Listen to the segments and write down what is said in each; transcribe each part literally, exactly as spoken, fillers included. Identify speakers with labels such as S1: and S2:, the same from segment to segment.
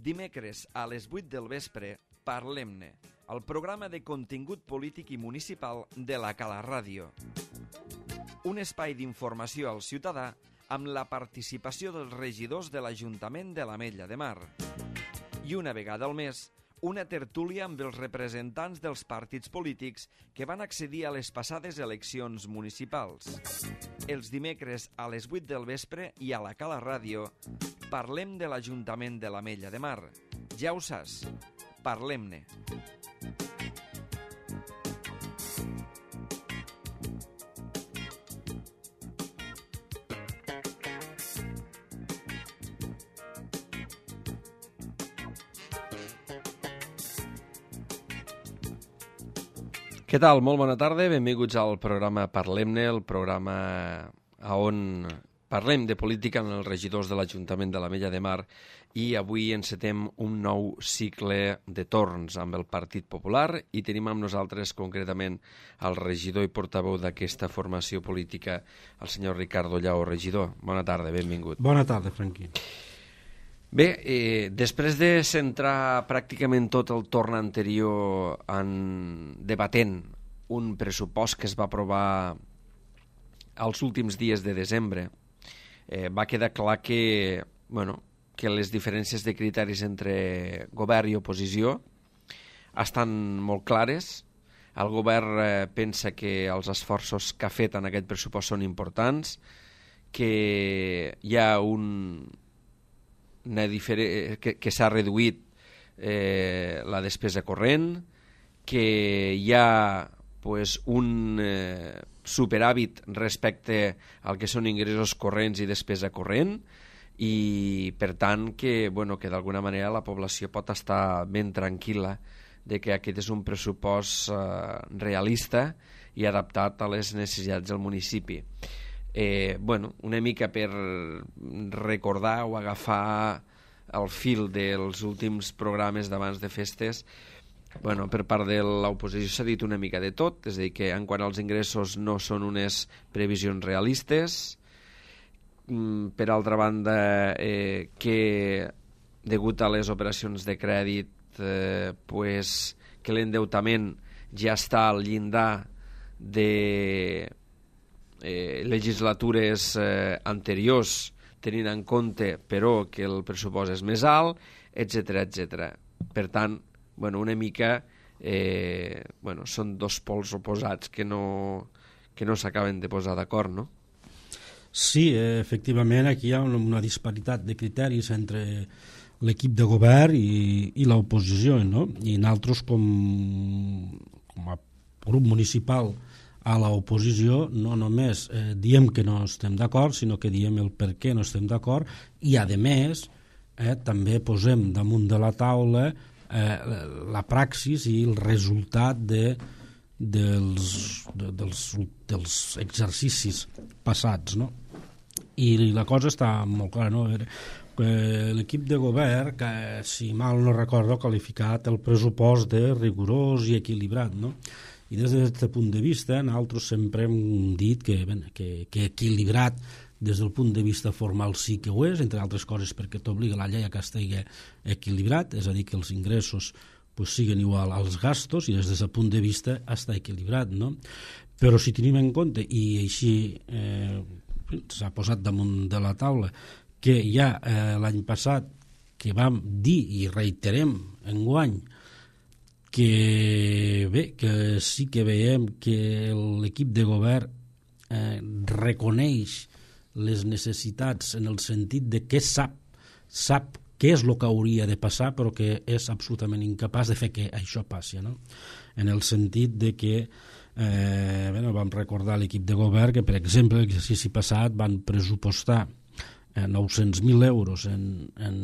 S1: dimecres a les vuit del vespre, Parlem-ne, el programa de contingut polític i municipal de la Cala Ràdio. Un espai d'informació al ciutadà amb la participació dels regidors de l'Ajuntament de l'Ametlla de Mar. I una vegada al mes, una tertúlia amb els representants dels partits polítics que van accedir a les passades eleccions municipals. Els dimecres a les vuit del vespre i a la Cala Ràdio parlem de l'Ajuntament de l'Ametlla de Mar. Ja ho saps, parlem-ne. Què tal? Molt bona tarda, benvinguts al programa Parlem-ne, el programa on parlem de política amb els regidors de l'Ajuntament de l'Ametlla de Mar i avui encetem un nou cicle de torns amb el Partit Popular i tenim amb nosaltres concretament el regidor i portaveu d'aquesta formació política, el senyor Ricardo Llaó. Regidor, bona tarda, benvingut.
S2: Bona tarda, Franqui.
S1: Bé, eh, després de centrar pràcticament tot el torn anterior en debatent un pressupost que es va aprovar als últims dies de desembre, eh, va quedar clar que, bueno, que les diferències de criteris entre govern i oposició estan molt clares. El govern eh, pensa que els esforços que ha fet en aquest pressupost són importants, que hi ha un... Una difere... que, que s'ha reduït eh, la despesa corrent, que hi ha pues, un eh, superàvit respecte al que són ingressos corrents i despesa corrent i per tant que, bueno, que d'alguna manera la població pot estar ben tranquil·la de que aquest és un pressupost eh, realista i adaptat a les necessitats del municipi. Eh, bueno, una mica per recordar o agafar el fil dels últims programes d'abans de festes, bueno, per part de l'oposició s'ha dit una mica de tot, és a dir, que en quant als ingressos no són unes previsions realistes, per altra banda eh, que degut a les operacions de crèdit eh, pues, que l'endeutament ja està al llindar de Eh, legislatures eh, anteriors, tenint en compte però que el pressupost és més alt, etcètera, etcètera. Per tant, bueno, una mica eh, bueno, són dos pols oposats que no, que no s'acaben de posar d'acord, no?
S2: Sí, eh, efectivament aquí hi ha una disparitat de criteris entre l'equip de govern i, i l'oposició, no? I nosaltres com, com a grup municipal a l'oposició no només eh, diem que no estem d'acord, sinó que diem el per què no estem d'acord i, a més, eh, també posem damunt de la taula eh, la praxis i el resultat de, dels, de, dels, dels exercicis passats, no? I la cosa està molt clara, no? L'equip de govern, que si mal no recordo, ha qualificat el pressupost de rigorós i equilibrat, no? I des d'aquest punt de vista, nosaltres sempre hem dit que, ben, que, que equilibrat des del punt de vista formal sí que ho és, entre altres coses perquè t'obliga la llei a que estigui equilibrat, és a dir, que els ingressos pues, siguin igual als gastos i des d'aquest punt de vista està equilibrat, no? Però si tenim en compte, i així eh, s'ha posat damunt de la taula, que ja eh, l'any passat que vam dir i reiterem enguany que bé, que sí que veiem que l'equip de govern eh, reconeix les necessitats en el sentit de que sap, sap què és el que hauria de passar però que és absolutament incapaç de fer que això passi, no? En el sentit de que eh, bueno, vam recordar a l'equip de govern que, per exemple, l'exercici passat van pressupostar eh, nou-cents mil euros en, en,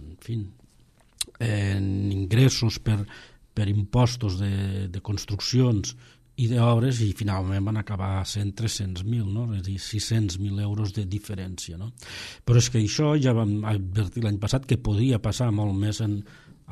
S2: en, fi, en ingressos per per impostos de, de construccions i d'obres i finalment van acabar sent tres-cents mil, no? És a dir, sis-cents mil euros de diferència, no? Però és que això ja vam advertir l'any passat que podria passar molt més en,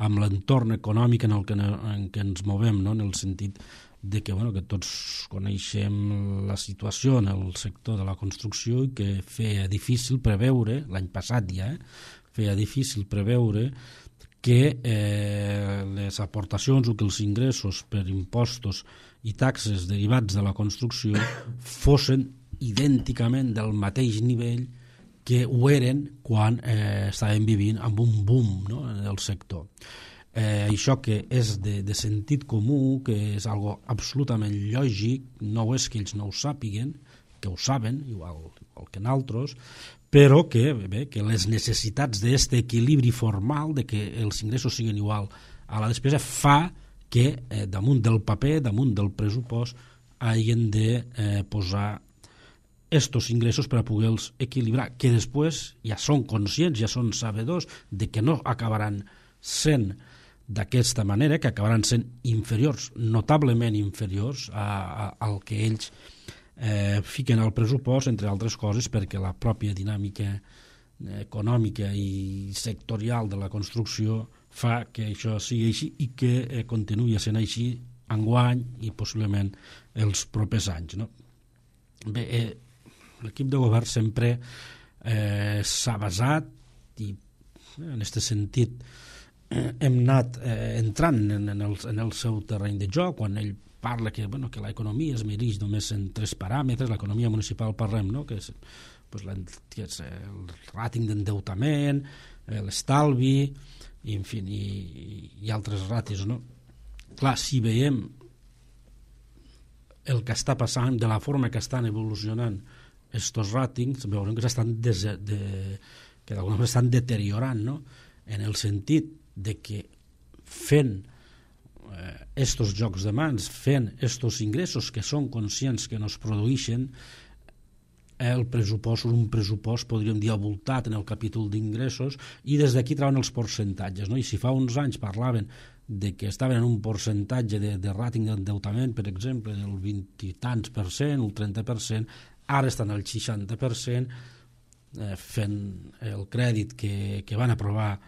S2: amb l'entorn econòmic en el que, en què ens movem, no? En el sentit de que, bueno, que tots coneixem la situació en el sector de la construcció i que feia difícil preveure, l'any passat ja, eh? feia difícil preveure que eh, les aportacions o que els ingressos per impostos i taxes derivats de la construcció fossin idènticament del mateix nivell que ho eren quan eh, estàvem vivint amb un boom, no?, en el sector. Eh, això que és de, de sentit comú, que és algo absolutament lògic, no és que ells no ho sàpiguen, que ho saben, igual, igual que nosaltres, però que, bé, que les necessitats d'aquest equilibri formal, de que els ingressos siguin igual a la despesa, fa que eh, damunt del paper, damunt del pressupost, hagin de eh, posar estos ingressos per a poder-los equilibrar, que després ja són conscients, ja són sabedors de que no acabaran sent d'aquesta manera, que acabaran sent inferiors, notablement inferiors a, a, al que ells eh, fiquen al pressupost, entre altres coses perquè la pròpia dinàmica econòmica i sectorial de la construcció fa que això sigui així i que eh, continuï sent així enguany i possiblement els propers anys, no? Bé, eh, l'equip de govern sempre eh, s'ha basat i eh, en aquest sentit eh, hem anat eh, entrant en, en, el, en el seu terreny de joc quan ell parla que, bueno, que l'economia es mereix només en tres paràmetres, l'economia municipal parlem, no?, que és, pues, la, que és el ràting d'endeutament, eh, l'estalvi i, en fi, i, i altres ràtios, no? Clar, si veiem el que està passant, de la forma que estan evolucionant estos ràtings, veurem que s'estan des, de, que d'alguna manera estan deteriorant, no?, en el sentit de que fent eh, estos jocs de mans, fent estos ingressos que són conscients que no es produeixen, el pressupost, un pressupost, podríem dir, avoltat en el capítol d'ingressos, i des d'aquí trauen els percentatges, no? I si fa uns anys parlaven de que estaven en un percentatge de, de ràting d'endeutament, per exemple, del vint i tants per cent, el trenta per cent, ara estan al seixanta per cent, eh, fent el crèdit que, que van aprovar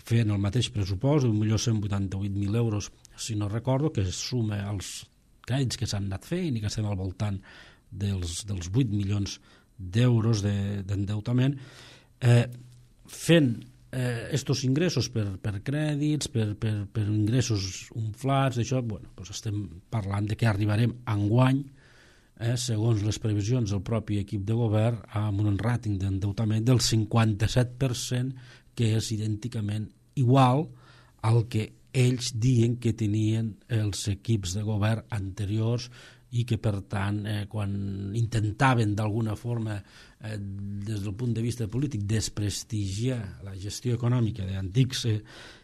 S2: fent el mateix pressupost, un milió cent vuitanta-vuit mil euros, si no recordo, que es suma als crèdits que s'han anat fent i que estem al voltant dels, dels vuit milions d'euros de, d'endeutament, eh, fent eh, estos ingressos per, per crèdits, per, per, per ingressos inflats, d'això, bueno, doncs estem parlant de que arribarem enguany, eh, segons les previsions del propi equip de govern, amb un ràting d'endeutament del cinquanta-set per cent, que és idènticament igual al que ells diuen que tenien els equips de govern anteriors i que, per tant, eh, quan intentaven d'alguna forma, eh, des del punt de vista polític, desprestigiar la gestió econòmica d'antics eh,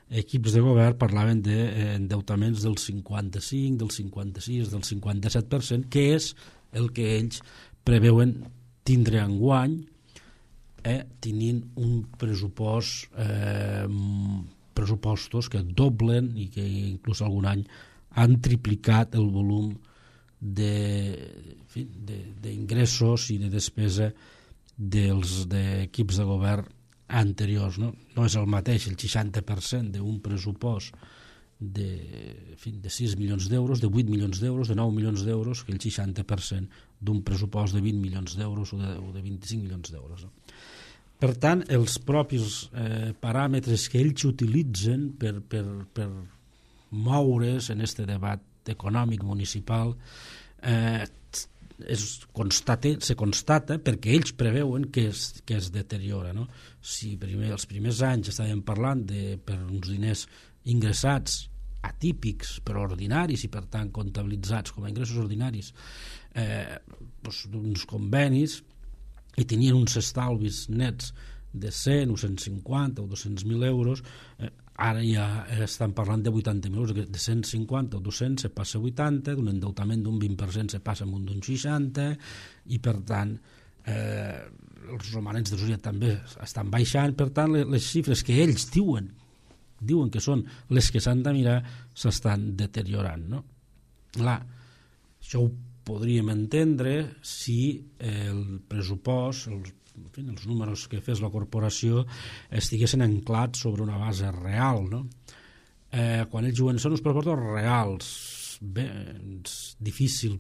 S2: equips de govern, parlaven d'endeutaments del cinquanta-cinc, del cinquanta-sis, del cinquanta-set per cent, que és el que ells preveuen tindre enguany, eh, tenint un pressupost, eh, pressupostos que doblen i que inclús algun any han triplicat el volum d'ingressos i de despesa dels equips de govern anteriors, no? No és el mateix el seixanta per cent d'un pressupost de, en fi, de sis milions d'euros, de vuit milions d'euros, de nou milions d'euros, que el seixanta per cent d'un pressupost de vint milions d'euros o de, o de vint-i-cinc milions d'euros, no? Per tant, els propis eh, paràmetres que ells utilitzen per, per, per moure's en aquest debat econòmic municipal eh, es constate, se constata perquè ells preveuen que es, que es deteriora, no? Si primer, els primers anys estàvem parlant de, per uns diners ingressats atípics però ordinaris i per tant comptabilitzats com a ingressos ordinaris, eh, doncs, d'uns convenis, i tenien uns estalvis nets de cent o cent cinquanta o dos-cents mil euros, eh, ara ja estan parlant de vuitanta mil euros, de cent cinquanta o dos-cents se passa a vuitanta, d'un endeutament d'un vint per cent se passa a un d'un seixanta, i per tant eh, els romanents de societat també estan baixant. Per tant, les xifres que ells diuen diuen que són les que s'han de mirar s'estan deteriorant, no? Clar, això ho podríem entendre si el pressupost, els, en fi, els números que fes la corporació estiguessin anclats sobre una base real, no? Eh, quan ells diuen són uns pressupostos reals, bé, és difícil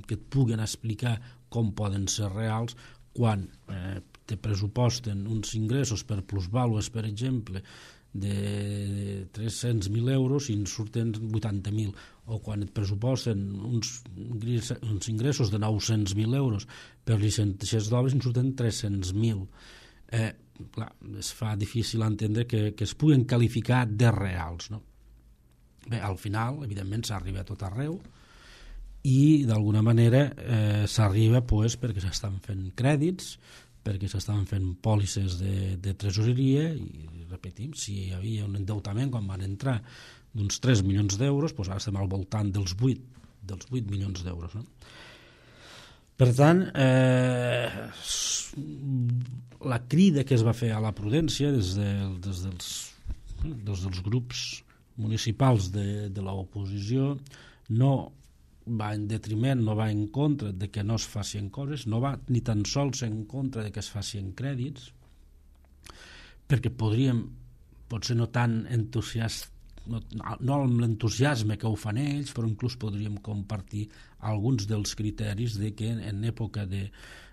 S2: que et puguen explicar com poden ser reals quan eh, te pressuposten uns ingressos per plusvàlues, per exemple, de tres-cents mil euros i en surten vuitanta mil, o quan et pressuposten uns, uns ingressos de nou-cents mil euros per llicències d'obres i en surten tres-cents mil. Eh, clar, es fa difícil entendre que, que es puguen qualificar de reals, no? Bé, al final, evidentment, s'arriba a tot arreu i d'alguna manera eh, s'arriba pues, perquè s'estan fent crèdits, perquè s'estaven fent pòlisses de, de tresoreria i, repetim, si hi havia un endeutament quan van entrar d'uns tres milions d'euros, doncs ara estem al voltant dels vuit, dels vuit milions d'euros. No? Per tant, eh, la crida que es va fer a la prudència des, de, des, dels, des dels grups municipals de, de l'oposició no va en detriment, no va en contra de que no es facin coses, no va ni tan sols en contra de que es facin crèdits, perquè podríem, potser no tan entusiast, no, no amb l'entusiasme que ho fan ells, però inclús podríem compartir alguns dels criteris de que en època de,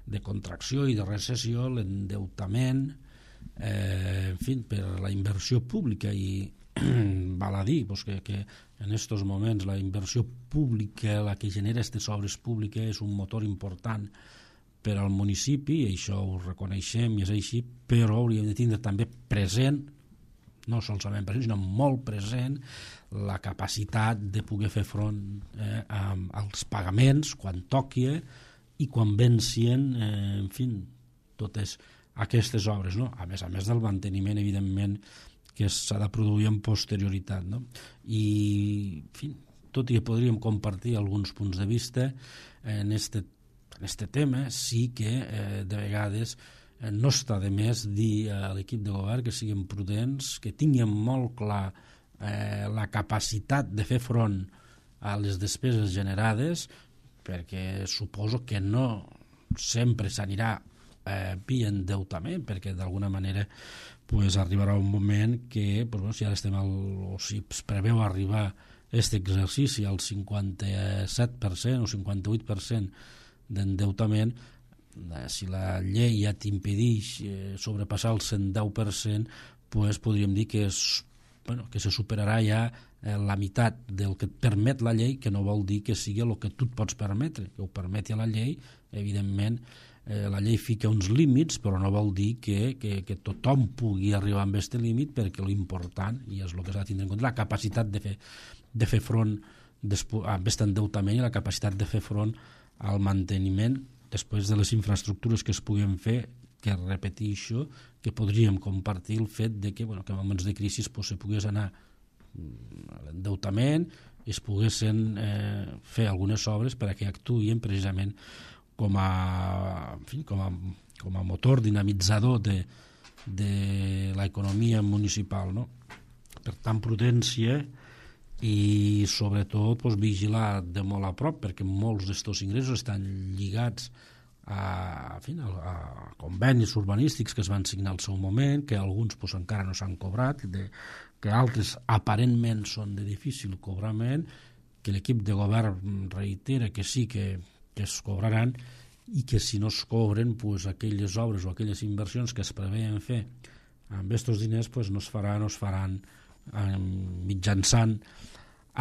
S2: de contracció i de recessió l'endeutament, eh, en fi, per la inversió pública i val a dir pues, que, que en aquests moments la inversió pública, la que genera aquestes obres públiques, és un motor important per al municipi, i això ho reconeixem i és així, però hauríem de tindre també present, no solament present, sinó molt present, la capacitat de poder fer front eh, als pagaments quan toqui i quan vencien, eh, en fi, totes aquestes obres, no? A més a més del manteniment, evidentment, que s'ha de produir amb posterioritat, no? I, en fi, tot i que podríem compartir alguns punts de vista en este, en este tema, sí que eh, de vegades eh, no està de més dir a l'equip de govern que siguin prudents, que tinguin molt clar eh, la capacitat de fer front a les despeses generades, perquè suposo que no sempre s'anirà eh, via endeutament, perquè d'alguna manera pues arribarà un moment que pues, bueno, si ara estem al, o si es preveu arribar aquest exercici al cinquanta-set per cent o cinquanta-vuit per cent d'endeutament, eh, si la llei ja t'impedeix eh, sobrepassar el cent deu per cent, pues podríem dir que, és, bueno, que se superarà ja eh, la meitat del que et permet la llei, que no vol dir que sigui el que tu et pots permetre, que ho permeti a la llei, evidentment. Eh, la llei fica uns límits, però no vol dir que, que, que tothom pugui arribar amb aquest límit, perquè l'important, i és el que s'ha de tindre en compte, la capacitat de fer, de fer front a aquest endeutament i la capacitat de fer front al manteniment després de les infraestructures que es puguin fer, que repeteixo, que podríem compartir el fet de que, bueno, que en moments de crisi pues, se pogués anar a l'endeutament i es poguessin eh, fer algunes obres perquè actuïn precisament com a, en fi, com a, com a motor dinamitzador de, de l'economia municipal, no? Per tant, prudència i sobretot pues, vigilar de molt a prop, perquè molts d'estos ingressos estan lligats a, en fi, a, a convenis urbanístics que es van signar al seu moment, que alguns pues, encara no s'han cobrat, de, que altres aparentment són de difícil cobrament, que l'equip de govern reitera que sí que que es cobraran i que si no es cobren pues, aquelles obres o aquelles inversions que es preveien fer amb aquests diners pues, no es faran, no es faran eh, mitjançant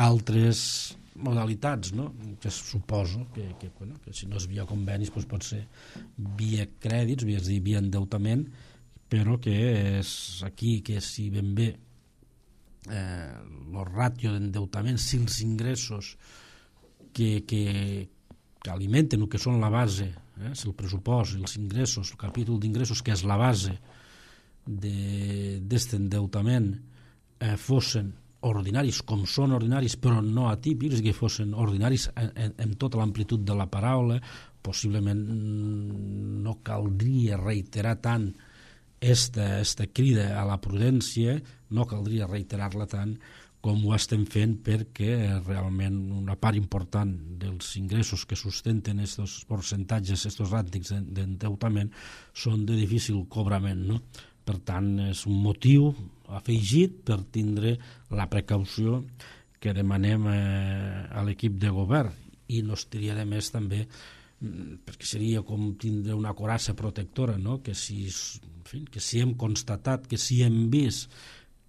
S2: altres modalitats, no? Que suposo que, que, bueno, que si no és via convenis pues, pot ser via crèdits, és dir, via endeutament, però que és aquí que si ben bé eh, el ràtio d'endeutament, si els ingressos que, que que alimenten el que són la base, eh, si el pressupost, els ingressos, el capítol d'ingressos, que és la base d'aquest endeutament, eh, fossin ordinaris, com són ordinaris, però no atípics, que fossin ordinaris en, en, en tota l'amplitud de la paraula, possiblement no caldria reiterar tant esta, esta crida a la prudència, no caldria reiterar-la tant com ho estem fent, perquè realment una part important dels ingressos que sustenten aquests percentatges, aquests ràtios d'endeutament, són de difícil cobrament, no? Per tant, és un motiu afegit per tindre la precaució que demanem eh, a l'equip de govern, i no estaria de més també perquè seria com tindre una coraça protectora, no? Que si, en fi, que si hem constatat, que si hem vist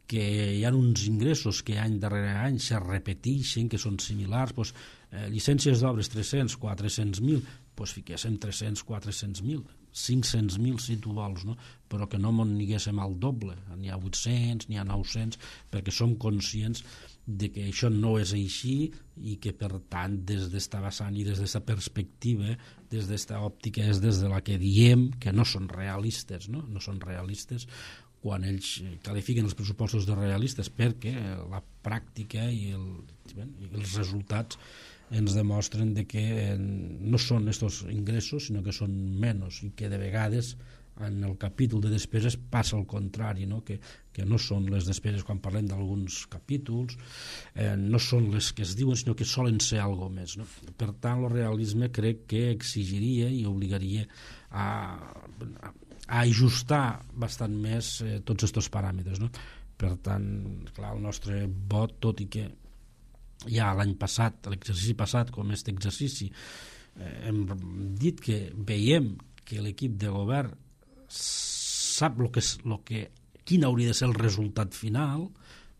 S2: que hi ha uns ingressos que any darrere any se repeteixen, que són similars, doncs, eh, llicències d'obres tres-cents, quatre-cents mil, doncs fiquéssim tres-cents, quatre-cents mil, cinc-cents mil si tu vols, no? Però que no m'on n'higuéssim al doble, n'hi ha vuit-cents, n'hi ha nou-cents, perquè som conscients de que això no és així i que per tant des d'esta vessant i des d'esta perspectiva, des d'esta òptica és des de la que diem que no són realistes, no, no són realistes quan ells qualifiquen els pressupostos de realistes, perquè la pràctica i, el, i els resultats ens demostren de que no són aquests ingressos sinó que són menys i que de vegades en el capítol de despeses passa el contrari, no? Que, que no són les despeses quan parlem d'alguns capítols, eh, no són les que es diuen, sinó que solen ser algo més, no? Per tant, el realisme crec que exigiria i obligaria a, a, a ajustar bastant més eh, tots aquests paràmetres, no? Per tant, clar, el nostre vot, tot i que ja l'any passat, l'exercici passat, com aquest exercici, eh, hem dit que veiem que l'equip de govern sap lo que és, lo que, quin hauria de ser el resultat final,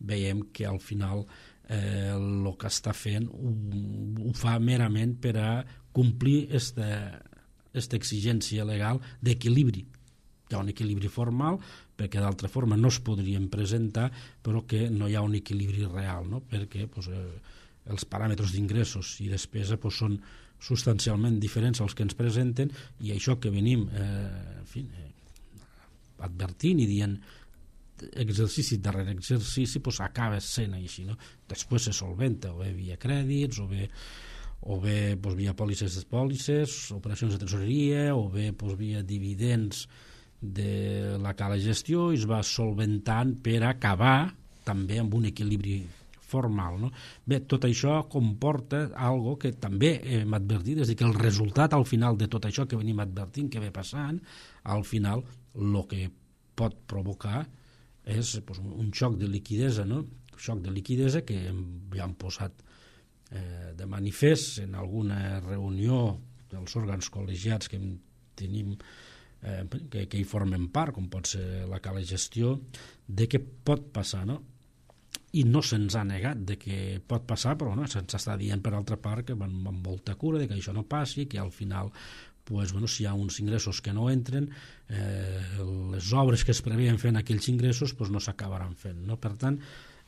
S2: veiem que al final eh, el que està fent ho, ho fa merament per a complir esta, esta exigència legal d'equilibri. Hi ha un equilibri formal perquè d'altra forma no es podrien presentar, però que no hi ha un equilibri real, no? Perquè pues, eh, els paràmetres d'ingressos i despesa pues, són substancialment diferents als que ens presenten i això que venim eh, en fi, eh, advertint i dient exercici darrere exercici pues, acaba sent així, no? Després se solventa o bé via crèdits o bé, o bé pues, via pòlisses de pòlisses, operacions de tresoreria o bé pues, via dividends de la cala gestió i es va solventant per acabar també amb un equilibri formal, no? Bé, tot això comporta algo que també hem advertit, és a dir, que el resultat al final de tot això que venim advertint, que ve passant, al final el que pot provocar és pues, un xoc de liquidesa, no? Un xoc de liquidesa que ja han posat eh, de manifest en alguna reunió dels òrgans col·legiats que tenim eh, que, que hi formen part, com pot ser la cala gestió, de què pot passar, no? I no se'ns ha negat de que pot passar, però no, se'ns està dient per altra part que van amb molta cura de que això no passi, que al final pues, bueno, si hi ha uns ingressos que no entren, eh, les obres que es preveien fent aquells ingressos pues, no s'acabaran fent, no? Per tant,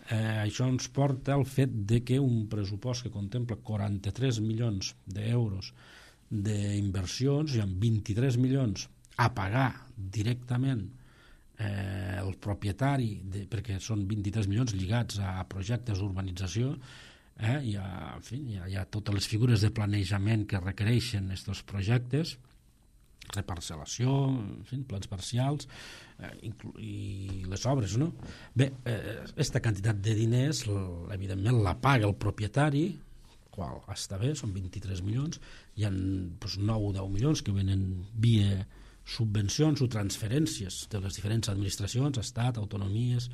S2: eh, això ens porta al fet de que un pressupost que contempla quaranta-tres milions d'euros d'inversions i amb vint-i-tres milions a pagar directament Eh, el propietari, de, perquè són vint-i-tres milions lligats a projectes d'urbanització, eh, hi, ha, en fi, hi, ha, hi ha totes les figures de planejament que requereixen aquests projectes, reparcel·lació, en fi, plans parcials eh, i les obres, no? Bé, aquesta eh, quantitat de diners evidentment la paga el propietari, qual està bé, són vint-i-tres milions, hi ha doncs, nou o deu milions que venen via subvencions o transferències de les diferents administracions, estat, autonomies,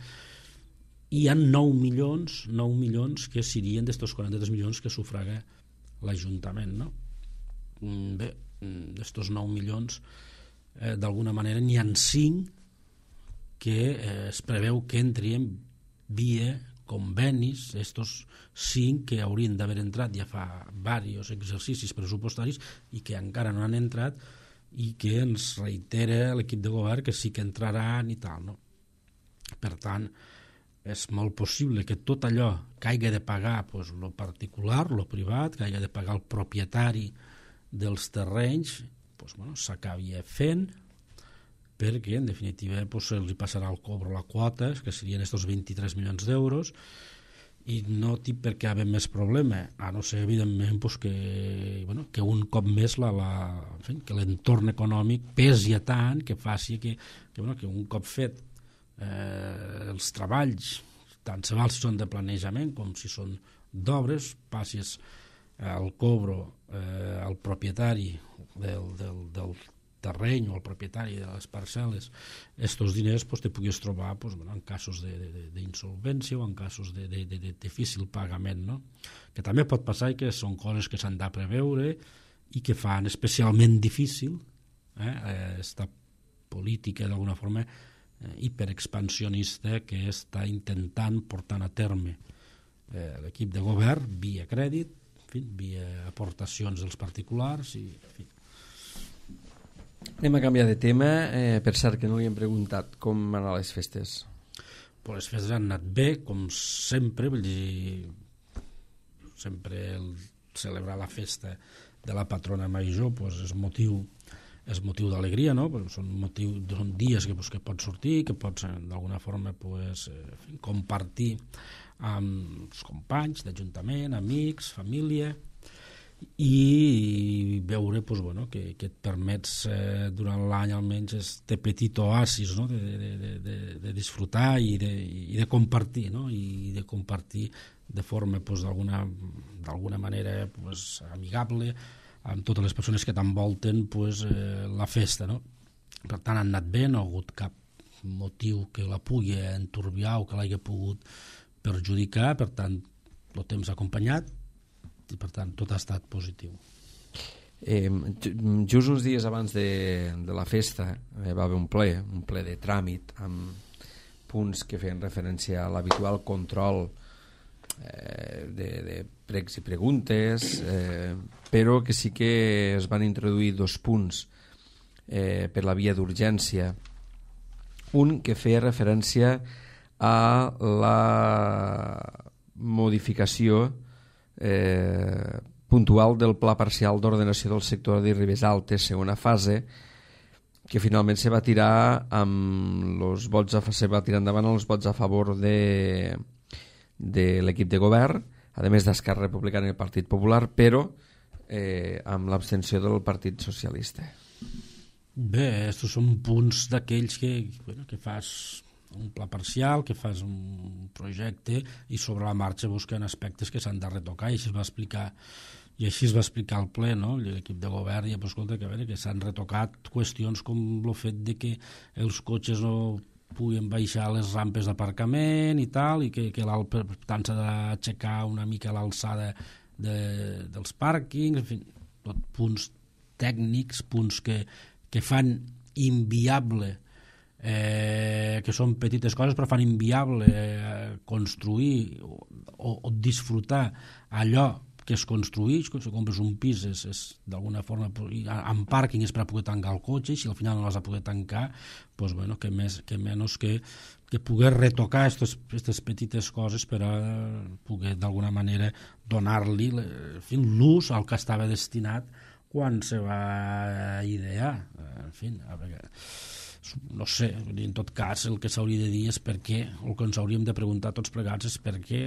S2: i hi ha nou milions, nou milions que serien d'estos quaranta-tres milions que sufraga l'Ajuntament, no? Bé, d'estos nou milions, eh, d'alguna manera n'hi ha cinc que eh, es preveu que entrien via convenis, estos cinc que haurien d'haver entrat ja fa diversos exercicis pressupostaris i que encara no han entrat i que ens reitera l'equip de govern que sí que entraran i tal, no? Per tant, és molt possible que tot allò que hagi de pagar pues, lo particular, lo privat, que hagi de pagar el propietari dels terrenys, pues, bueno, s'acabi fent perquè, en definitiva, pues, se'ls passarà el cobro la quota, que serien estos vint-i-tres milions d'euros, i no tinc per què haver més problema, a no ser evidentment pues, que, bueno, que un cop més la, la, en fi, que l'entorn econòmic pesi tant que faci que, que, bueno, que un cop fet eh, els treballs, tant se val si són de planejament com si són d'obres, passis el cobro eh, al propietari del, del, del terreny o al propietari de les parcel·les estos diners pues, te puguis trobar pues, bueno, en casos d'insolvència o en casos de, de, de, de difícil pagament, no? Que també pot passar i que són coses que s'han de preveure i que fan especialment difícil eh, esta política d'alguna forma eh, hiperexpansionista que està intentant portar a terme eh, l'equip de govern via crèdit, en fi, via aportacions dels particulars i, en fi.
S1: Anem a canviar de tema, eh, per cert que no li hem preguntat com van anar les festes.
S2: Pues les festes han anat bé, com sempre, vull dir, sempre el celebrar la festa de la patrona major pues és motiu és motiu d'alegria, no? Pues són, motiu, són dies que, pues, que pots sortir, que pots d'alguna forma pues, eh, compartir amb els companys d'ajuntament, amics, família, i veure pues, bueno, que, que et permets eh, durant l'any almenys este petit oasis, no? de, de, de, de, de disfrutar i de, i de compartir, no? I de compartir de forma pues, d'alguna d'alguna manera pues, amigable amb totes les persones que t'envolten pues, eh, la festa, no? Per tant, han anat bé, no ha hagut cap motiu que la pugui enturbiar o que l'hagi pogut perjudicar, per tant, el temps ha acompanyat i per tant tot ha estat positiu.
S1: Eh, just uns dies abans de, de la festa eh, va haver un ple, un ple de tràmit amb punts que feien referència a l'habitual control eh, de, de pregs i preguntes, eh, però que sí que es van introduir dos punts eh, per la via d'urgència. Un que feia referència a la modificació Eh, puntual del pla parcial d'ordenació del sector de Ribes Altes, segona fase, que finalment se va tirar amb els vots a, se va tirar endavant els vots a favor de, de l'equip de govern, a més d'Esquerra Republicana i el Partit Popular, però eh, amb l'abstenció del Partit Socialista.
S2: Bé, estos són punts d'aquells que, bueno, que fas un pla parcial, que fas un projecte i sobre la marxa busquen aspectes que s'han de retocar, i així es va explicar i així es va explicar al ple, no? L'equip de govern, i pues, escolta, que, a veure, que s'han retocat qüestions com el fet de que els cotxes no puguin baixar les rampes d'aparcament i tal, i que, que per tant s'ha d'aixecar una mica l'alçada de, dels pàrquings, en fi, tot punts tècnics, punts que, que fan inviable Eh, que són petites coses però fan inviable eh, construir o, o disfrutar allò que es construeix. Si compres un pis és, és d'alguna forma amb pàrquing és per a poder tancar el cotxe, i si al final no l'has de poder tancar pues, bueno, que, més, que menys que, que poder retocar aquestes petites coses per a poder d'alguna manera donar-li l'ús al que estava destinat quan se va idear. En fi, a veure, no sé, en tot cas el que s'hauria de dir és per què, el que ens hauríem de preguntar tots plegats és per què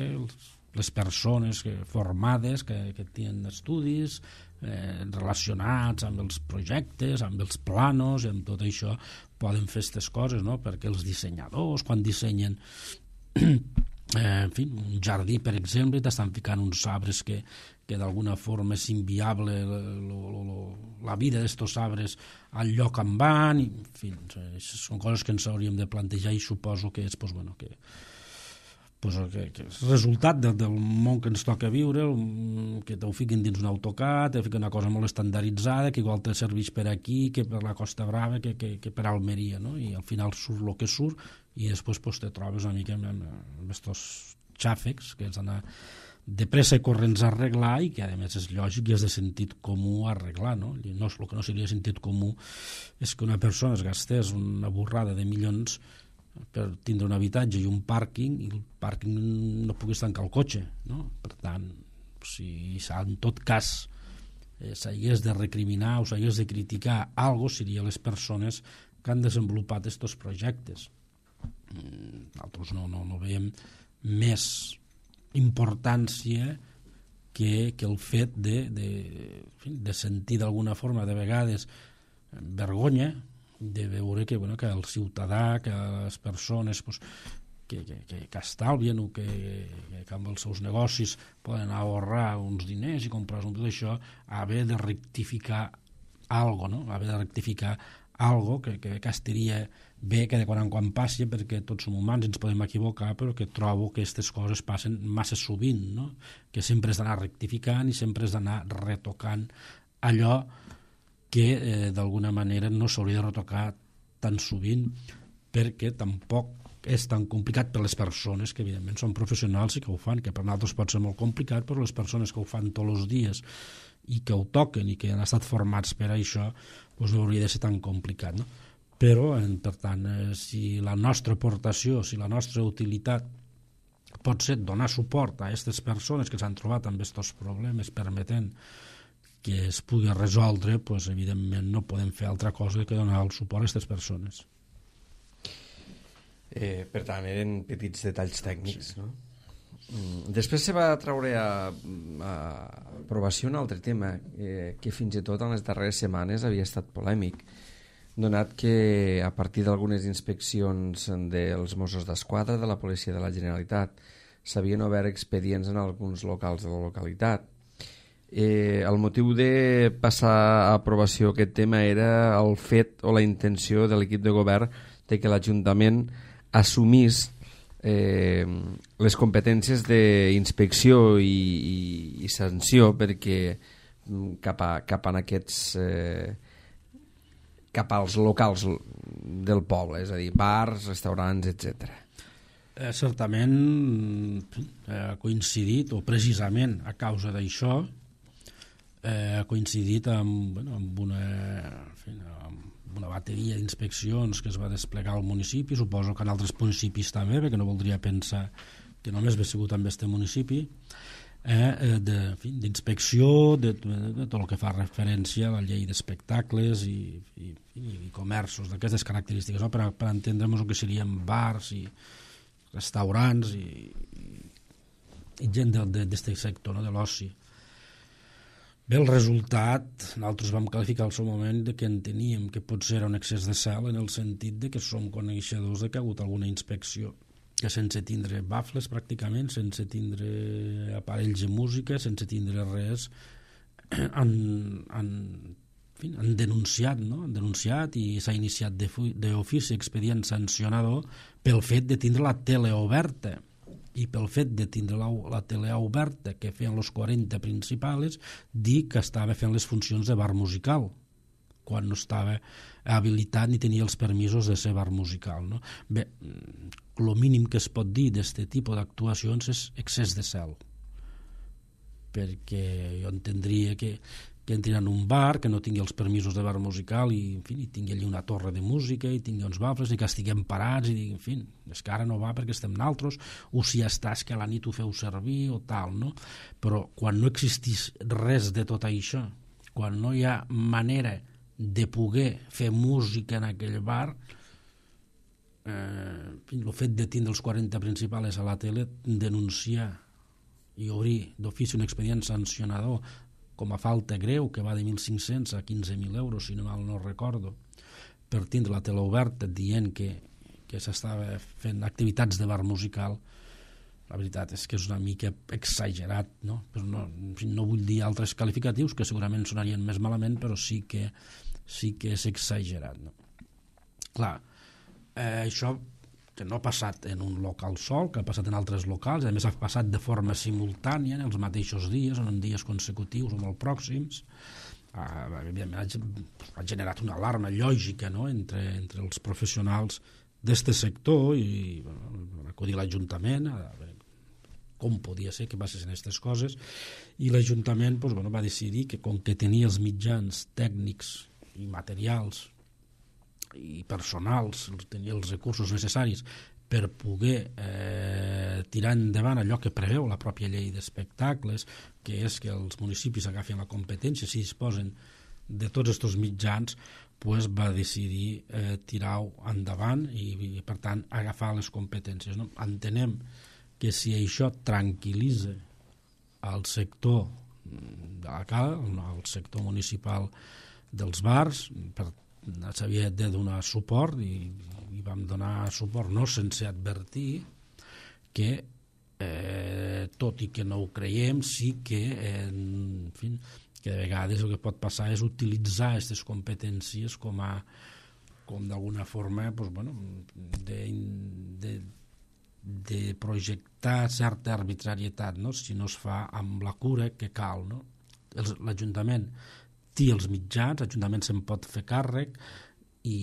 S2: les persones que, formades que, que tenen estudis eh, relacionats amb els projectes, amb els planos i amb tot això poden fer aquestes coses, no? Perquè els dissenyadors quan dissenyen eh, en fi, un jardí per exemple t'estan ficant uns arbres que, que d'alguna forma és inviable lo, lo, lo, la vida d'estos arbres al lloc on van, i, en fi, són coses que ens hauríem de plantejar, i suposo que és pues, bueno, que, pues, que, que és resultat del, del món que ens toca viure, que t'ho fiquen dins un AutoCAD, te fiquen una cosa molt estandarditzada que igual te serveix per aquí, que per la Costa Brava, que, que, que per Almeria, no? I al final surt el que surt, i després pues, te trobes una mica amb aquests xàfecs que has d'anar de pressa i corrents a arreglar, i que a més és lògic i és de sentit comú arreglar, no? no el que no seria sentit comú és que una persona es gastés una borrada de milions per tindre un habitatge i un pàrquing, i el pàrquing no pogués tancar el cotxe, no? Per tant, si en tot cas eh, s'hagués de recriminar o s'hagués de criticar algo, seria les persones que han desenvolupat aquests projectes. Nosaltres no, no, no veiem més importància que, que el fet de, de, de sentir d'alguna forma de vegades vergonya de veure que, bueno, que el ciutadà, que les persones pues, que, que, que, que estalvien o que, que amb els seus negocis poden ahorrar uns diners i comprar un tot això, haver de rectificar algo, no? Haver de rectificar algo que, que, que estaria bé que de quan en quan passi, perquè tots som humans, ens podem equivocar, però que trobo que aquestes coses passen massa sovint, no? Que sempre has d'anar rectificant i sempre has d'anar retocant allò que eh, d'alguna manera no s'hauria de retocar tan sovint, perquè tampoc és tan complicat per les persones que evidentment són professionals i que ho fan, que per nosaltres pot ser molt complicat, però les persones que ho fan tots els dies i que ho toquen i que han estat formats per això, doncs no hauria de ser tan complicat, no? Però, per tant, eh, si la nostra aportació, si la nostra utilitat pot ser donar suport a aquestes persones que s'han trobat amb aquests problemes permetent que es pugui resoldre, doncs, evidentment no podem fer altra cosa que donar el suport a aquestes persones.
S1: Eh, per tant, eren petits detalls tècnics, no? Després se va treure a, a aprovació un altre tema eh, que fins i tot en les darreres setmanes havia estat polèmic, donat que a partir d'algunes inspeccions dels Mossos d'Esquadra de la Policia de la Generalitat s'havien obert expedients en alguns locals de la localitat. Eh, el motiu de passar a aprovació aquest tema era el fet o la intenció de l'equip de govern de que l'Ajuntament assumís eh, les competències d'inspecció i, i, i sanció perquè cap, a, cap a aquests eh, cap als locals del poble, és a dir, bars, restaurants, etcètera.
S2: Eh, certament eh, ha coincidit, o precisament a causa d'això, eh, ha coincidit amb, bueno, amb una, en fi, amb una bateria d'inspeccions que es va desplegar al municipi, suposo que en altres municipis també, perquè no voldria pensar que només ve sigut amb aquest municipi, eh, d'inspecció de, de, de tot el que fa referència a la llei d'espectacles i, i, i comerços d'aquestes característiques, no? per, per entendre'ns el que serien bars i restaurants i, i, i gent d'aquest sector, no? De l'oci. Bé, el resultat, nosaltres vam qualificar al seu moment de que enteníem que potser era un excés de zel en el sentit de que som coneixedors de que ha hagut alguna inspecció que sense tindre bafles pràcticament, sense tindre aparells de música, sense tindre res, han, han, en fi, han denunciat, no? Han denunciat i s'ha iniciat d'ofici expedient sancionador pel fet de tindre la tele oberta. I pel fet de tindre la, la tele oberta que feien els quaranta principals, dir que estava fent les funcions de bar musical quan no estava habilitat ni tenia els permisos de ser bar musical, no? Bé, el mínim que es pot dir d'aquest tipus d'actuacions és excés de zel, perquè jo entendria que que entrin en un bar, que no tingui els permisos de bar musical i, en fi, i tingui allí una torre de música i tingui uns bafles i que estiguem parats i digui, en fi, és que ara no va perquè estem naltros, o si està és que a la nit ho feu servir o tal, no? Però quan no existís res de tot això, quan no hi ha manera de poder fer música en aquell bar, eh, el fet de tindre els quaranta principals a la tele, denunciar i obrir d'ofici un expedient sancionador com a falta greu, que va de mil cinc-cents a quinze mil euros, si no mal no recordo, per tindre la tele oberta dient que, que s'estava fent activitats de bar musical, la veritat és que és una mica exagerat, no? Però no, no vull dir altres qualificatius que segurament sonarien més malament, però sí que, sí que és exagerat, no? Clar, eh, això que no ha passat en un local sol, que ha passat en altres locals, a més ha passat de forma simultània en els mateixos dies, o en dies consecutius o molt pròxims, ha, ha generat una alarma lògica, no? entre, entre els professionals d'aquest sector i bueno, va acudir l'Ajuntament a veure com podia ser que passessin aquestes coses, i l'Ajuntament doncs, bueno, va decidir que com que tenia els mitjans tècnics i materials i personals, tenia els recursos necessaris per poder eh, tirar endavant allò que preveu la pròpia llei d'espectacles, que és que els municipis agafin la competència si disposen de tots aquests mitjans, pues va decidir eh, tirar-ho endavant i, i per tant agafar les competències, no? Entenem que si això tranquil·litza el sector de la cala, el sector municipal dels bars, per s'havia de donar suport i, i vam donar suport no sense advertir que eh, tot i que no ho creiem sí que eh, en fi, que de vegades el que pot passar és utilitzar aquestes competències com a com d'alguna forma pues, bueno, de, de, de projectar certa arbitrarietat, no? Si no es fa amb la cura que cal, no? L'Ajuntament té els mitjans, l'Ajuntament se'n pot fer càrrec i,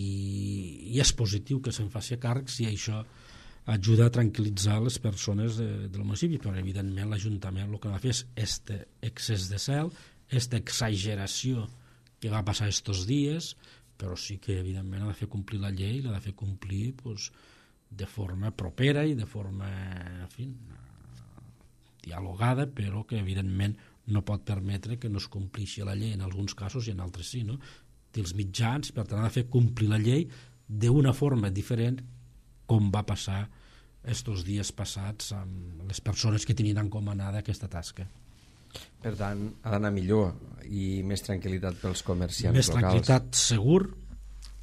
S2: i és positiu que se'n faci càrrec si això ajuda a tranquil·litzar les persones de, del municipi, però evidentment l'Ajuntament el que va fer és este excés de zel, aquesta exageració que va passar estos dies, però sí que evidentment ha de fer complir la llei, l'ha de fer complir pues, de forma propera i de forma en fi, dialogada, però que evidentment no pot permetre que no es complixi la llei en alguns casos i en altres sí, no? Té els mitjans, per tant ha de fer complir la llei d'una forma diferent com va passar estos dies passats amb les persones que tenien encomanada aquesta tasca.
S1: Per tant, ha d'anar millor i més tranquil·litat pels comerciants
S2: més
S1: locals.
S2: Més tranquil·litat segur,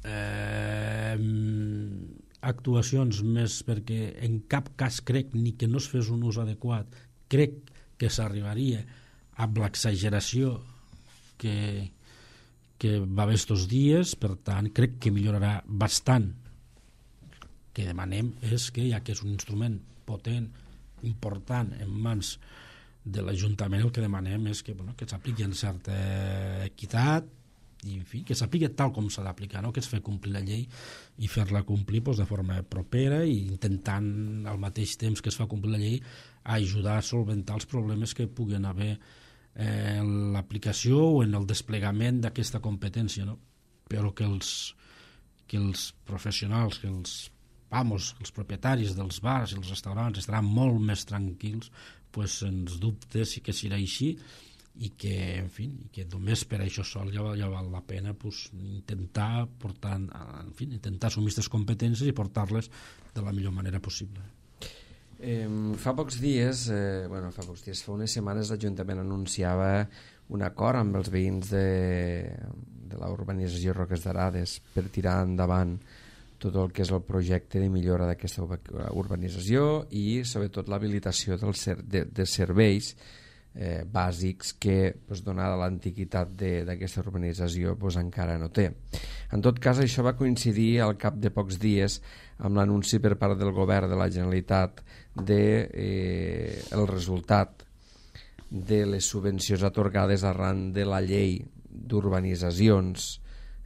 S2: eh, actuacions més, perquè en cap cas crec ni que no es fes un ús adequat, crec que s'arribaria amb l'exageració que, que va haver estos dies, per tant crec que millorarà bastant. Que demanem és que, ja que és un instrument potent, important, en mans de l'Ajuntament, el que demanem és que, bueno, que s'apliqui en certa equitat i, en fi, que s'apliqui tal com s'ha d'aplicar, no? Que es fa complir la llei i fer-la complir pues, de forma propera i intentant al mateix temps que es fa complir la llei ajudar a solventar els problemes que puguen haver eh, en l'aplicació o en el desplegament d'aquesta competència, no? Però que els, que els professionals, que els vamos, els propietaris dels bars i els restaurants estaran molt més tranquils, pues, sens dubte sí que serà així i que, en fi, i que només per això sol ja, ja val la pena pues, intentar portar, en fi, intentar assumir aquestes competències i portar-les de la millor manera possible.
S1: Eh, fa pocs dies, eh, bueno, fa pocs dies, fa unes setmanes l'Ajuntament anunciava un acord amb els veïns de, de la urbanització Roques d'Arades per tirar endavant tot el que és el projecte de millora d'aquesta urbanització i sobretot l'habilitació dels ser, de, de serveis eh, bàsics que pues, donada l'antiguitat d'aquesta urbanització pues, encara no té. En tot cas, això va coincidir al cap de pocs dies amb l'anunci per part del govern de la Generalitat de eh, el resultat de les subvencions atorgades arran de la llei d'urbanitzacions,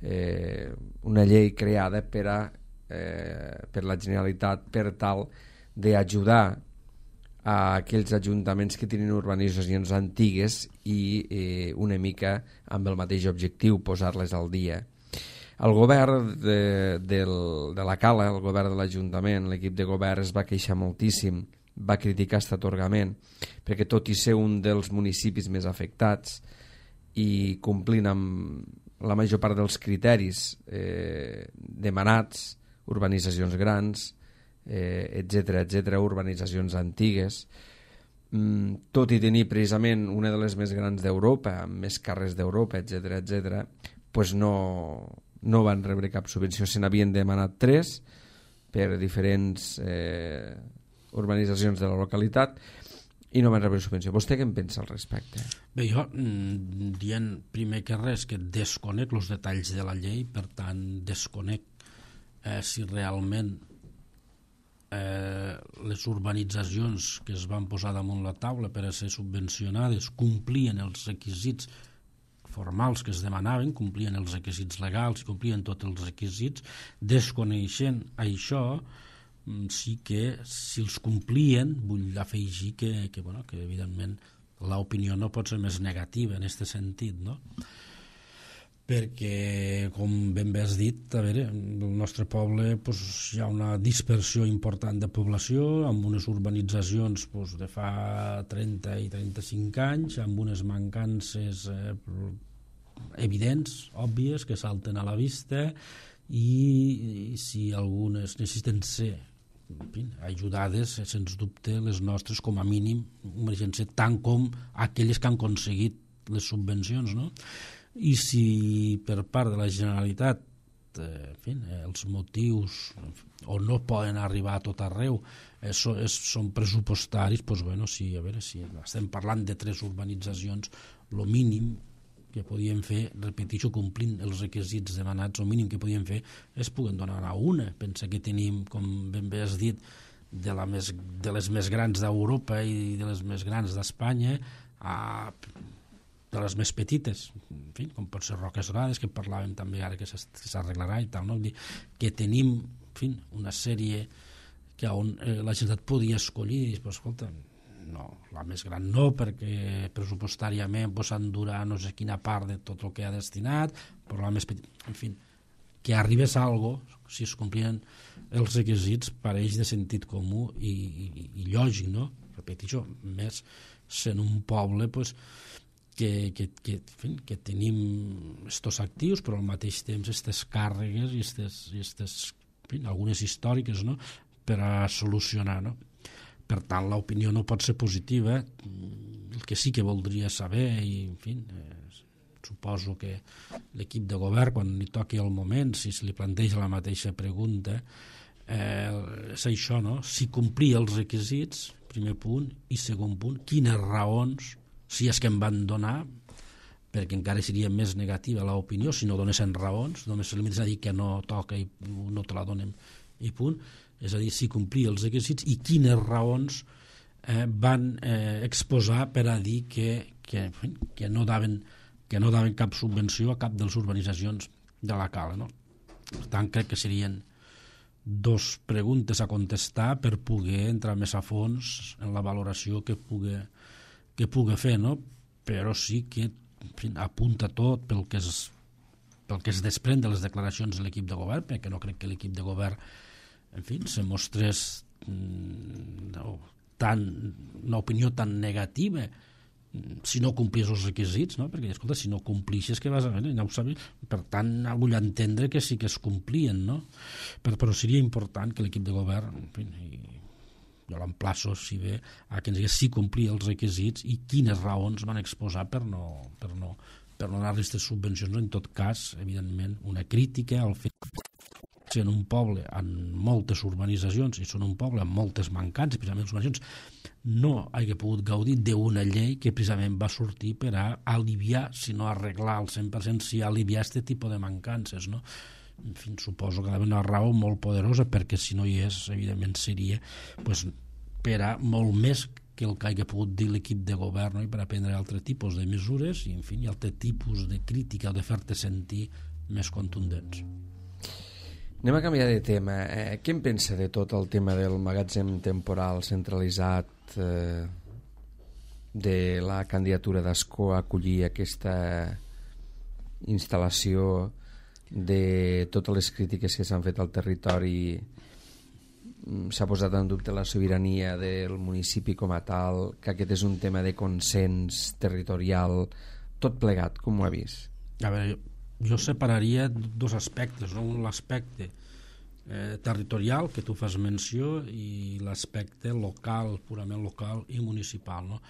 S1: eh, una llei creada per a Eh, per la Generalitat per tal d'ajudar a aquells ajuntaments que tenen urbanitzacions antigues i eh, una mica amb el mateix objectiu, posar-les al dia. El govern de, del, de la Cala, el govern de l'Ajuntament, l'equip de govern es va queixar moltíssim, va criticar aquest atorgament, perquè tot i ser un dels municipis més afectats i complint amb la major part dels criteris eh, demanats, urbanitzacions grans, eh, etcètera, etcètera, urbanitzacions antigues, mm, tot i tenir precisament una de les més grans d'Europa, amb més carrers d'Europa, etcètera, etcètera, pues no, no van rebre cap subvenció. Se n'havien demanat tres per diferents eh, urbanitzacions de la localitat i no van rebre subvenció. Vostè què en pensa al respecte?
S2: Bé, jo, dient primer que res que desconec els detalls de la llei, per tant, desconec Eh, si realment eh, les urbanitzacions que es van posar damunt la taula per a ser subvencionades complien els requisits formals que es demanaven, complien els requisits legals, complien tots els requisits. Desconeixent això, sí que si els complien, vull afegir que, que, bueno, que evidentment l'opinió no pot ser més negativa en aquest sentit, no? Perquè, com ben bé has dit, a veure, el nostre poble pues, hi ha una dispersió important de població, amb unes urbanitzacions pues, de fa trenta i trenta-cinc anys, amb unes mancances eh, evidents, òbvies, que salten a la vista, i, i si algunes necessiten ser en fi, ajudades, sens dubte, les nostres, com a mínim, mereixen ser tant com aquelles que han aconseguit les subvencions, no? I si per part de la Generalitat eh, en fi, eh, els motius o no poden arribar a tot arreu eh, so, és, són pressupostaris, doncs, bueno, si, a veure, si estem parlant de tres urbanitzacions, el mínim que podíem fer, repeteixo, complint els requisits demanats, el mínim que podíem fer és poder donar a una. Pensa que tenim, com ben bé has dit, de, la més, de les més grans d'Europa i de les més grans d'Espanya, a de les més petites, en fi, com pot ser Roques Dorades, que parlàvem també ara que s'arreglarà i tal, no? Que tenim, en fi, una sèrie que on eh, la Generalitat podia escollir i dir, pues, escolta, no, la més gran no, perquè pressupostàriament pues, s'endurà no sé quina part de tot el que ha destinat, però la més petita, en fi, que arribés a algo, si es complien els requisits, pareix de sentit comú i, i, i lògic, no? Repeteixo, més sent un poble pues, que, que, que, en fi, que tenim estos actius, però al mateix temps aquestes càrregues i estes, i estes, en fi, algunes històriques, no? Per a solucionar, no? Per tant, l'opinió no pot ser positiva. El que sí que voldria saber, i en fi, eh, suposo que l'equip de govern, quan li toqui el moment, si se li planteja la mateixa pregunta, eh, és això, no? Si complia els requisits, primer punt, i segon punt, quines raons, si és que em van donar, perquè encara seria més negativa l'opinió, si no donessin raons, només se limites a dir que no toca i no te la donem, i punt. És a dir, si complia els requisits i quines raons eh, van eh, exposar per a dir que, que, que, no daven, que no daven cap subvenció a cap de les urbanitzacions de la Cala, no? Per tant, crec que serien dos preguntes a contestar per poder entrar més a fons en la valoració que pugui, que pugui fer, no? Però sí que, en fi, apunta tot pel que es, pel que es desprèn de les declaracions de l'equip de govern, perquè no crec que l'equip de govern, en fi, se mostrés no, tan, una opinió tan negativa si no complies els requisits, no? Perquè, escolta, si no complixes, què vas a fer? Ja ho sabies. Per tant, vull entendre que sí que es complien, no? Però, però seria important que l'equip de govern, en fi, i jo l'emplaço, si bé, a que ens digués si complia els requisits i quines raons van exposar per no, per no, per no donar aquestes subvencions. En tot cas, evidentment, una crítica al fet sent un poble amb moltes urbanitzacions i són un poble amb moltes mancances, precisament les urbanitzacions no hagi pogut gaudir d'una llei que precisament va sortir per a aliviar, si no arreglar al cent per cent, si aliviar aquest tipus de mancances, no? En fi, suposo que hi ha una raó molt poderosa, perquè si no hi és, evidentment seria pues, per a molt més que el que hagi pogut dir l'equip de govern, no? I per a prendre altres tipus de mesures i, en fi, altres tipus de crítica o de fer-te sentir més contundents.
S1: Anem a canviar de tema. Eh, què en pensa de tot el tema del magatzem temporal centralitzat, eh, de la candidatura d'Ascó a acollir aquesta instal·lació, de totes les crítiques que s'han fet al territori? S'ha posat en dubte la sobirania del municipi com a tal, que aquest és un tema de consens territorial, tot plegat, com ho ha vist?
S2: A veure, jo jo separaria dos aspectes, no? Un l'aspecte eh, territorial que tu fas menció i l'aspecte local, purament local i municipal, no?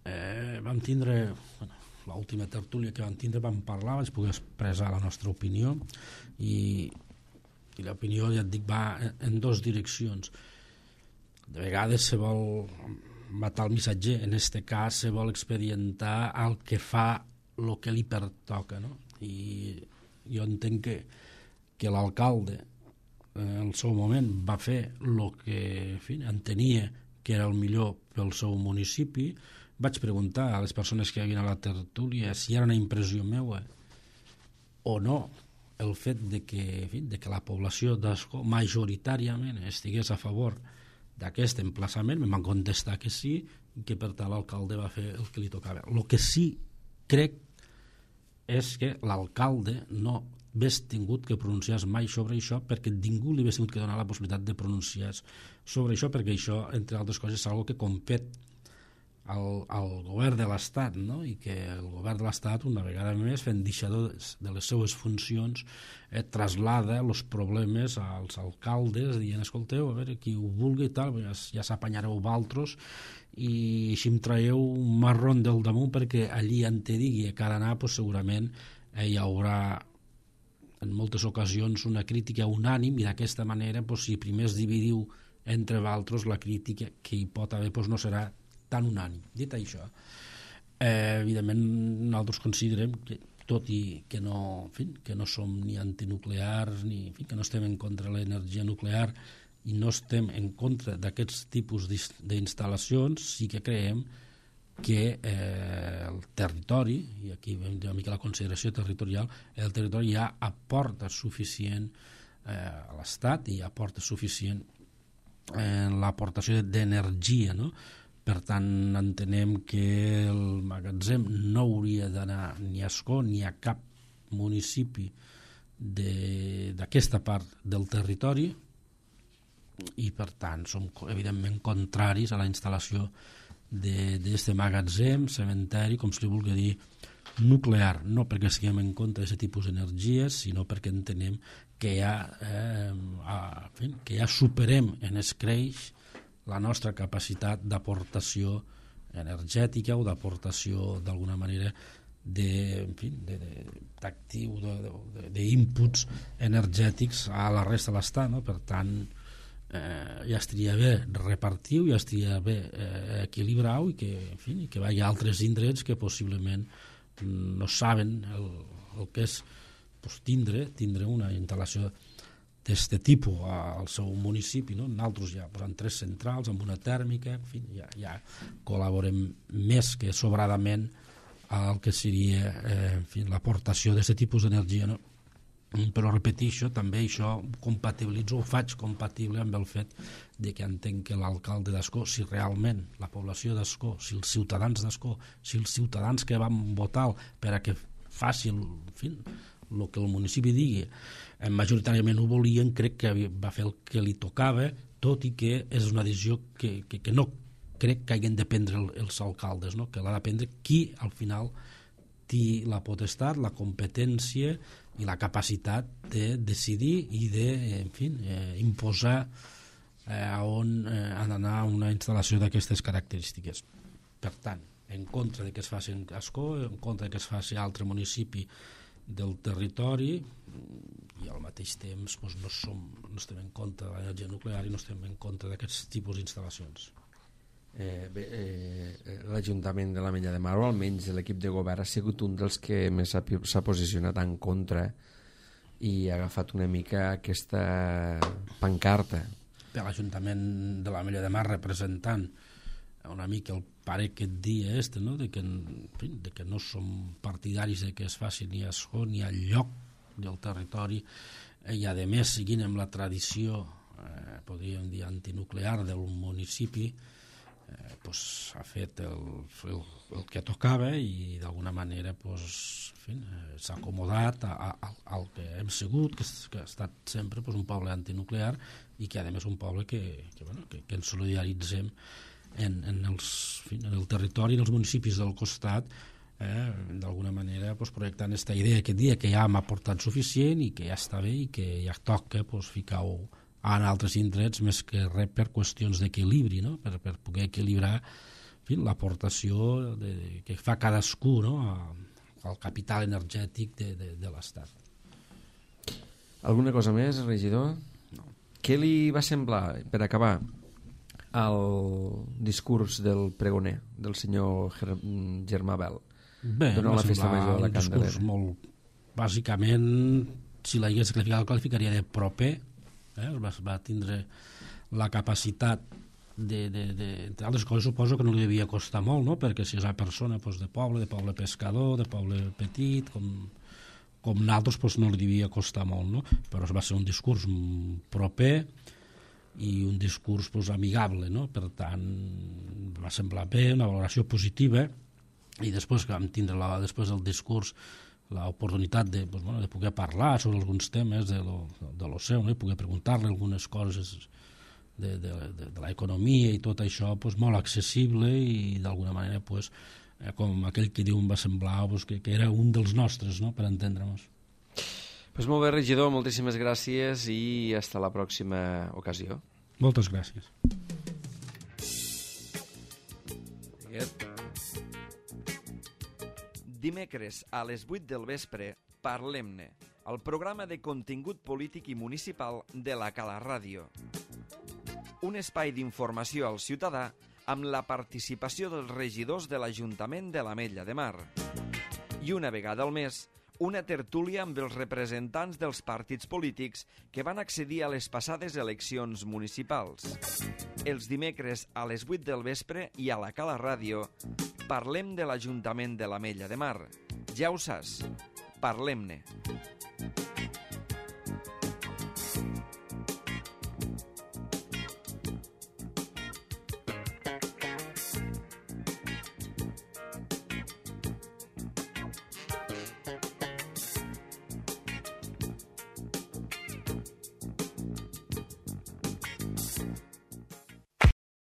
S2: Eh, vam tindre, bueno, l'última tertúlia que vam tindre vam parlar, vaig poder expressar la nostra opinió i, i l'opinió, ja et dic, va en, en dues direccions. De vegades se vol matar el missatger, en este cas se vol expedientar el que fa el que li pertoca, no? I jo entenc que, que l'alcalde eh, al seu moment va fer el que, en fi, entenia que era el millor pel seu municipi. Vaig preguntar a les persones que hi havia a la tertúlia si era una impressió meua o no el fet de que, en fi, de que la població d'Ascó majoritàriament estigués a favor d'aquest emplaçament. Em van contestar que sí i que per tant l'alcalde va fer el que li tocava. El que sí crec és que l'alcalde no hagués tingut que pronunciar mai sobre això, perquè ningú li hagués tingut que donar la possibilitat de pronunciar sobre això, perquè això, entre altres coses, és una que compet al, al govern de l'Estat, no? I que el govern de l'Estat, una vegada més, fent deixador de les seues funcions, eh, traslada els problemes als alcaldes, dient, escolteu, a veure, qui ho vulgui i tal, ja, ja s'apanyareu vosaltres i així em traieu un marron del damunt, perquè allí en te digui que ha d'anar, pues, segurament eh, hi haurà en moltes ocasions una crítica unànim i d'aquesta manera, pues, si primer es dividiu entre vosaltres, la crítica que hi pot haver pues, no serà tan unànim. Dit això, eh, evidentment nosaltres considerem que tot i que no, en fi, que no som ni antinuclears ni, en fi, que no estem en contra de l'energia nuclear i no estem en contra d'aquests tipus d'instal·lacions, sí que creiem que eh, el territori, i aquí vam dir una mica la consideració territorial, el territori ja aporta suficient eh, a l'Estat i aporta suficient en l'aportació d'energia, no? Per tant, entenem que el magatzem no hauria d'anar ni a Ascó ni a cap municipi d'aquesta part del territori, i per tant som evidentment contraris a la instal·lació d'aquest magatzem, cementeri, com se li vulgui dir, nuclear, no perquè siguem en contra d'aquest tipus d'energies, sinó perquè entenem que ja, eh, a, en fi, que ja superem en escreix la nostra capacitat d'aportació energètica o d'aportació d'alguna manera de, en fi, d'actiu, d'inputs energètics a la resta de l'Estat, no? Per tant, eh, ja estaria bé repartir-ho, ja estaria bé eh, equilibrar-ho i que, en fi, que hi ha altres indrets que possiblement no saben el, el que és pues, tindre, tindre una instal·lació d'aquest tipus al seu municipi, no? Nosaltres ja posant tres centrals amb una tèrmica, en fi, ja, ja col·laborem més que sobradament al que seria eh, en fi, l'aportació d'aquest tipus d'energia, no? Però repeteixo, també això compatibilitzo, ho faig compatible amb el fet de que entenc que l'alcalde d'Ascó, si realment la població d'Ascó, si els ciutadans d'Ascó, si els ciutadans que van votar per a que faci el, en fi, el que el municipi digui, majoritàriament ho volien, crec que va fer el que li tocava, tot i que és una decisió que, que, que no crec que hagin de prendre els alcaldes, no? Que l'ha de prendre qui al final té la potestat, la competència i la capacitat de decidir i de, en fi, eh, imposar eh, a on eh, ha d'anar una instal·lació d'aquestes característiques. Per tant, en contra de que es faci en Ascó, en contra de que es faci a altre municipi del territori, i al mateix temps doncs, no, som, no estem en contra de l'energia nuclear i no estem en contra d'aquests tipus d'instal·lacions.
S1: Eh, bé, eh, l'Ajuntament de l'Ametlla de Mar, o almenys l'equip de govern, ha sigut un dels que més s'ha posicionat en contra i ha agafat una mica aquesta pancarta.
S2: Per l'Ajuntament de l'Ametlla de Mar, representant una mica el pare aquest dia este, no? de, que, de que no som partidaris de que es faci ni a Ascó ni al lloc del territori, i a més seguint amb la tradició eh, podríem dir antinuclear del municipi, eh, pues, ha fet el, el, el que tocava i d'alguna manera pues, en fi, eh, s'ha acomodat a, a, al que hem sigut, que, que ha estat sempre pues, un poble antinuclear i que a més un poble que, que, bueno, que, que ens solidaritzem en, en, els, en, fi, en el territori, en els municipis del costat, eh, d'alguna manera pues, projectant aquesta idea aquest dia que ja hem aportat suficient i que ja està bé i que ja toca pues, ficar-ho en altres indrets més que res per qüestions d'equilibri, no? per, per poder equilibrar en fi, l'aportació de, que fa cadascú, no? A, al capital energètic de, de, de l'Estat.
S1: Alguna cosa més, regidor?
S2: No.
S1: Què li va semblar, per acabar, el discurs del pregoner, del senyor Germà Bel?
S2: Bé,
S1: Durant la festa major de la Candelera. Un discurs
S2: molt, bàsicament, si l'hagués qualificat, el qualificaria de proper, eh? va, va tindre la capacitat de, de, de, entre altres coses suposo que no li devia costar molt, no? Perquè si és una persona pues, de poble, de poble pescador, de poble petit, com, com nosaltres pues, no li devia costar molt, no? Però va ser un discurs proper i un discurs pues, amigable, no? Per tant va semblar bé, una valoració positiva, i després que vam tindre la, després del discurs l'oportunitat de, pues, bueno, de poder parlar sobre alguns temes de lo, de lo seu, no? I poder preguntar-li algunes coses de, de, de, de l'economia i tot això pues, molt accessible i d'alguna manera pues, eh, com aquell que diu em va semblar pues, que, que era un dels nostres, no? Per entendre-nos.
S1: Pues molt bé, regidor, moltíssimes gràcies i hasta la pròxima ocasió.
S2: Moltes gràcies.
S1: Dimecres a les vuit del vespre, Parlem-ne, el programa de contingut polític i municipal de la Cala Ràdio. Un espai d'informació al ciutadà amb la participació dels regidors de l'Ajuntament de l'Ametlla de Mar. I una vegada al mes, una tertúlia amb els representants dels partits polítics que van accedir a les passades eleccions municipals. Els dimecres a les vuit del vespre i a la Cala Ràdio parlem de l'Ajuntament de l'Ametlla de Mar. Ja ho saps, parlem-ne.